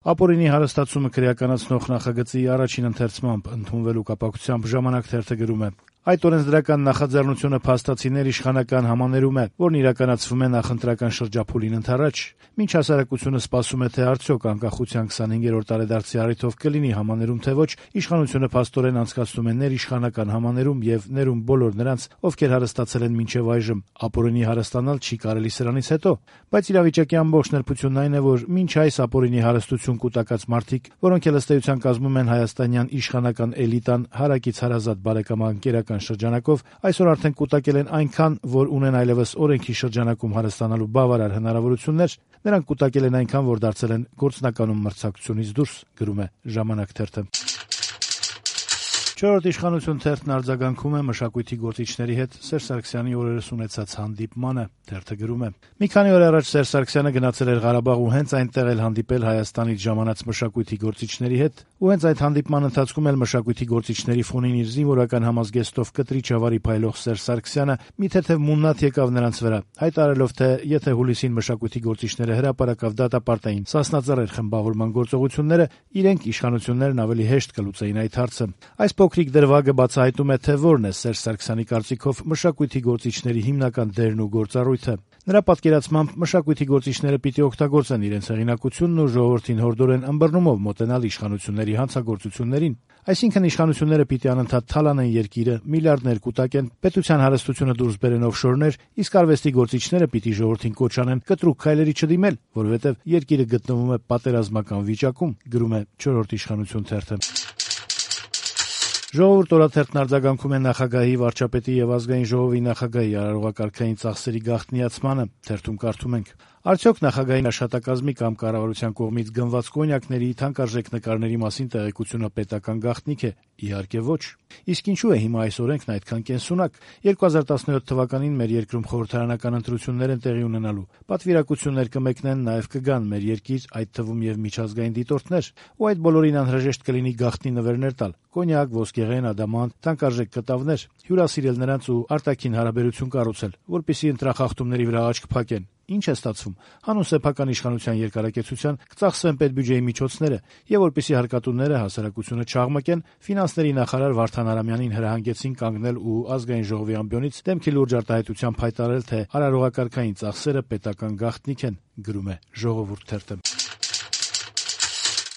Ապօրինի հարստացումը քրեականացնող նախագծի առաջին ընթերցմամբ ընդունվելու կապակցությամբ «Ժամանակ» թերթը գրում է. «Այդ օրենսդրական նախաձեռնությունը փաստացիներ իշխանական համաներում է, որն իրականացվում է նախընտրական շրջափուլին ընդառաջ։ Մինչ հասարակությունը սպասում է, թե արդյոք անկախության 25-րդ տարեդարձի առիթով կլինի համաներում թե ոչ, իշխանությունը փաստորեն անցկացնում է ներիշխանական համաներում եւ ներում բոլոր նրանց, ովքեր հարստացել են մինչեւ այժմ։ Ապօրինի հարստանալ չի կարելի սրանից հետո, բայց իրավիճակի ամբողջ նրբությունն այն է, որ մինչ այս ապօրինի հարստություն կուտակած մարդիկ, որոնք էլ ըստ էության կազմում են հայաստանյան իշխանական էլիտան հարակից հարազատ բարեկամանկերական շրջանակով, այսօր արդեն կուտակել են այնքան, որ ունեն այլևս օրենքի շրջանակում հարստանալու բավարար հնարավորություններ, նրանք կուտակել են այնքան, որ դարձել են գործնականում մրցակցությունից դուրս», գրում է «Ժամանակ» թերթը։ «Չորրորդ իշխանություն» թերթն արձագանքում է մշակույթի գործիչների հետ Սերժ Սարգսյանի օրերս ունեցած հանդիպմանը։ Թերթը գրում է. «Մի քանի օր առաջ Սերժ Սարգսյանը գնացել էր Ղարաբաղ ու հենց այնտեղ էլ հանդիպել Հայաստանից ժամանած մշակույթի գործիչների հետ, ու հենց այդ հանդիպման ընթացքում էլ մշակույթի գործիչների ֆոնին իր զինվորական համազգեստով կտրիչ ավարի փայլող Սերժ Սարգսյանը մի թեթև մուննաթ եկավ նրանց վրա, հայտարարելով, թե եթե հուլիսին մշակույթի գործիչները հրապարակավ դատապարտային սասնածռեր խմբավորման գործողությունները, իրենք իշխանություններն ավելի հեշտ կլուծեին այդ հարցը։ Այս փոքրիկ դրվագը բացահայտում է, թե որն է Սերժ Սարգսյանի կարծիքով մշակույթի գործիչների հիմնական դերն ու գործառույթը։ Նրա պատկերացմամբ մշակույթի գործիչները պիտի օգտագործեն իրենց հեղինակությունն ու ժողովրդին հորդորեն ըմբռնումով մոտենալ իշխանությունների հանցագործություններին։ Այսինքն իշխանությունները պիտի անընդհատ թալանեն երկիրը, միլիարդներ կուտակեն, պետության հարստությունը դուրս բերեն օֆշորներ, իսկ արվեստի գործիչները պիտի ժողովրդին կոչ անեն կտրուկ քայլերի չդիմել, որովհետև երկիրը գտնվում է պատերազմական վիճակում», գրում է «Չորրորդ իշխանություն» թերթը։ «Ժողովուրդ» օրաթերթն արձագանքում է նախագահի, վարչապետի եւ ազգային ժողովի նախագահի արարողակարգային ծախսերի գաղտնիացմանը։ Թերթում կարդում ենք. «Արդյոք նախագահի աշխատակազմի կամ կառավարության կողմից գնված կոնյակների, թանկարժեք նկարների մասին տեղեկությունը պետական գաղտնիք է։ Իհարկե ոչ։ Իսկ ինչու է հիմա այս օրենքն այդքան կենսունակ։ 2017 թվականին մեր երկրում խորհրդարանական ընտրություններ են տեղի ունենալու։ Պատվիրակություններ կմեկնեն, նաեւ կգան մեր երկիր, այդ թվում եւ միջազգային դիտորդներ, ու այդ բոլորին անհրաժեշտ կլինի գաղտնի նվերներ տալ՝ կոնյակ, ոսկեղեն, ադամանտ, թանկարժեք կտավներ, հյուրասիրել նրանց ու արտաքին հարաբերություն կառուցել, որպեսզի ընտրախախտումների վրա աչք փակեն։ Ինչ է ստացվում։ Հանուն սեփական իշխանության երկարակեցության կծախսվեն պետբյուջեի միջոցները, եւ որպեսզի հարկատուները հասարակությունը չաղմկեն, ֆինանսների նախարար Վարդան Արամյանին հրահանգեցին կանգնել ու ազգային ժողովի ամբիոնից դեմքի լուրջ արտահայտությամբ հայտարարել, թե արարողակարգային ծախսերը պետական գաղտնիք են», գրում է «Ժողովուրդ» թերթը։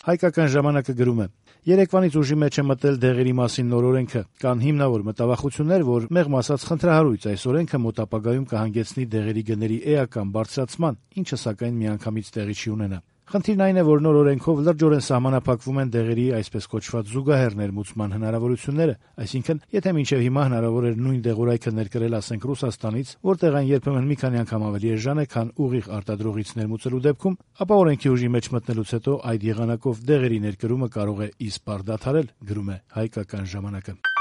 «Հայկական ժամանակ»-ը գրում է. «Երեկվանից ուժի մեջ է մտել դեղերի մասին նոր օրենքը։ Կան հիմնավոր մտավախություններ, որ մեղմ ասած խնդրահարույց այս օրենքը մոտ ապագայում կհանգեցնի դեղերի գների էական բարձրացման, ինչը սակայն միանգամից տեղի չի ունենա։ Խնդիրն այն է, որ նոր օրենքով լրջորեն սահմանափակվում են դեղերի այսպես կոչված զուգահեռ ներմուծման հնարավորությունները, այսինքն, եթե մինչև հիմա հնարավոր էր նույն դեղորայքը ներկրել, ասենք, Ռուսաստանից, որտեղ այն երբեմն մի քանի անգամ ավելի էժան է, քան ուղիղ արտադրողից ներմուծելու դեպքում, ապա օրենքի ուժի մեջ մտնելուց հետո այդ եղանակով դեղերի ներկրումը կարող է իսպառ դադարել», գրում է «Հայկական ժամանակ»-ը։